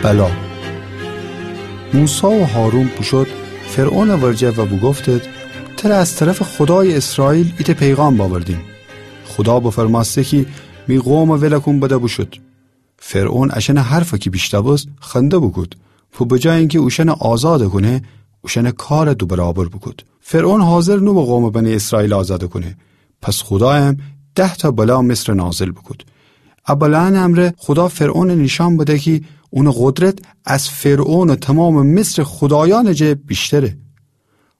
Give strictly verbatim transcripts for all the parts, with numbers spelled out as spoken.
الا. موسی و هارون بوشود فرعونٚ ورجه و بوگفتید: تره از طرفٚ خودایٚ اسرائیل ایتأ پیغام بأوردیم. خودا بفرمأسته کی می قومَ ولَ کون بده بوشود. فرعون اشأنٚ حرفَ کی بیشتأوست خنده بوکود و به جای اینکی اوشأنَ آزادَ کونه، اوشأنٚ کارَ دو برابر بوکود. فرعون حاضر نوبو قومٚ بنی اسرائیل آزادَ کونه. پس خودایم ده‌تأ بلا مصرَ نازل بوکود. ا بلایأنٚ امرأ خودا فرعونَ نیشأن بده کی اونٚ قدرت از فرعون و تومامٚ مصرٚ خودایأنٚ جٚه بیشتره.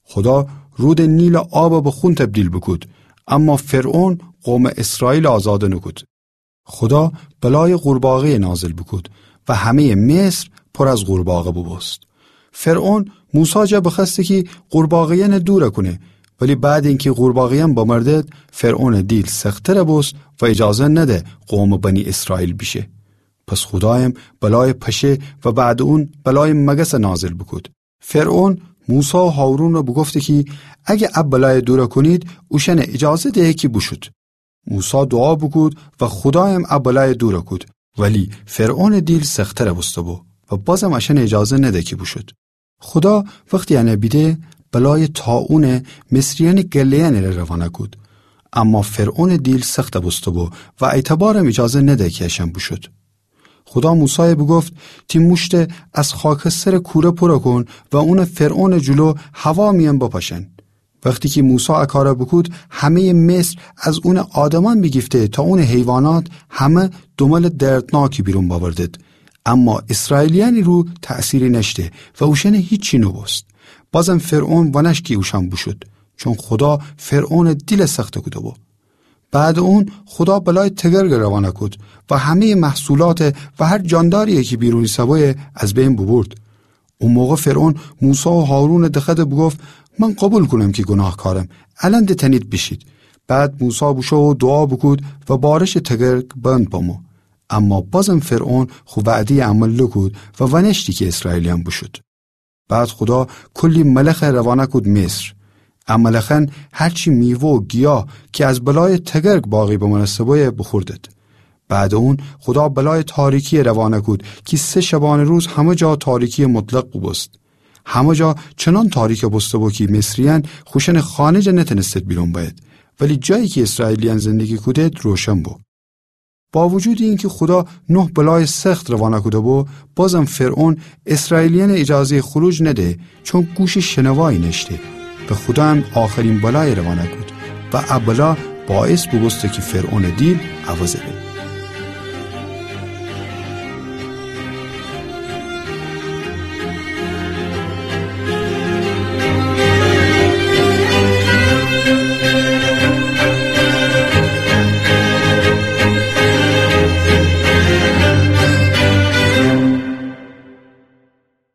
خودا رودٚ نیلٚ آبَ به خون تبدیل بوکود، اما فرعون قومٚ اسرائیلَ آزادَ نوکود. خودا بلایٚ قورباغه‌یَ نازل بوکود و همه‌یٚ مصر پر از قورباغه بوبوست. فرعون موسی جا بخوأسته کی قورباغه‌یأنَ دورَ کونه، ولی بعدٚ اینکی قورباغه‌یأن بمردد، فرعونٚ دیل سخت‌ترَ بوست و ایجازه نده قومٚ بنی اسرائیل بیشه. پس خودایم بلایٚ پشه و بعدٚ اون بلایٚ مگسَ نازل بوکود. فرعون موسی و هارونَ بوگفته کی اگه ا بلایَ دورَ کونید، اوشأنَ ایجازه دهید کی بوشود. موسی دوعا بوکود و خودایم ا بلایَ دورَ کود، ولی فرعونٚ دیل سخت‌ترَ بوسته‌بو و بازم اشأنَ ایجازه نده کی بوشود. خودا وختی انَ بیده، بلایٚ طاعونَ مصریأنٚ گله‌یأنٚ ره روانَ کود، اما فرعونٚ دیل سختَ بوسته‌بو و ایتأ بارم ایجازه نده کی اشأن بوشود. خودا موسایَ بوگفت: تی موشتَ از خاکسترٚ کوره پورَ کون و اونَ فرعونٚ جلو هوا میأن بپاشن. وختی کی موسی ا کارَ بوکود، همه‌یٚ مصر، از اونٚ آدمأن بیگیفته تا اونٚ حیوانات، همه دوملٚ دردناکی بیرون بأوردد. اما اسرائیلیأنٚ رو تأثیری نأشته و اوشأنَ هیچی نوبوست. بازم فرعون وأنأشت کی اوشأن بوشود، چون خودا فرعونٚ دیلَ سختَ کوده‌بو. بعدٚ اون خودا بلایٚ تگرگَ روانَ کود و همه‌یٚ محصولاتَ و هر جانداری‌یی کی بیرون ایسه‌بویه از بین بوبورد. او موقع فرعون موسی و هارونَ دخوأده بوگفت: من قوبیل کونم کی گوناهکارم، الأن ده تأنید بیشید. بعد موسی بوشو و دوعا بوکود و بارشٚ تگرگ بند بمو. اما بازم فرعون خو وعده‌یَ عمل نوکود و وأنأشتی کی اسرائیلیأن بوشود. بعد خودا کلی ملخَ روانَ کود مصر. ا ملخأن هرچی میوه و گیاه کی از بلایٚ تگرگ باقی بمأنسته‌بویه بوخوردد. بعدٚ اون خودا بلایٚ تاریکی‌یَ روانَ کود کی سه شبانه‌روز همه جا تاریکی مطلق بوبوست. همه جا چنان تاریکَ بوسته‌بو کی مصریأن خوشأنٚ خانه جا نتأنستید بیرون بأیید، ولی جایی کی اسرائیلیأن زندگی کودید روشن بو. با وجودٚ اینکی خودا نه بلایٚ سخت روانَ کوده‌بو، بازم فرعون اسرائیلیأنَ ایجازه‌یٚ خروج نده، چون گوشٚ شنوایی نأشته و خودا هم آخرین بلایَ روانَ کود و ا بلا باعث بوبوسته کی فرعونٚ دیل عوضَ به.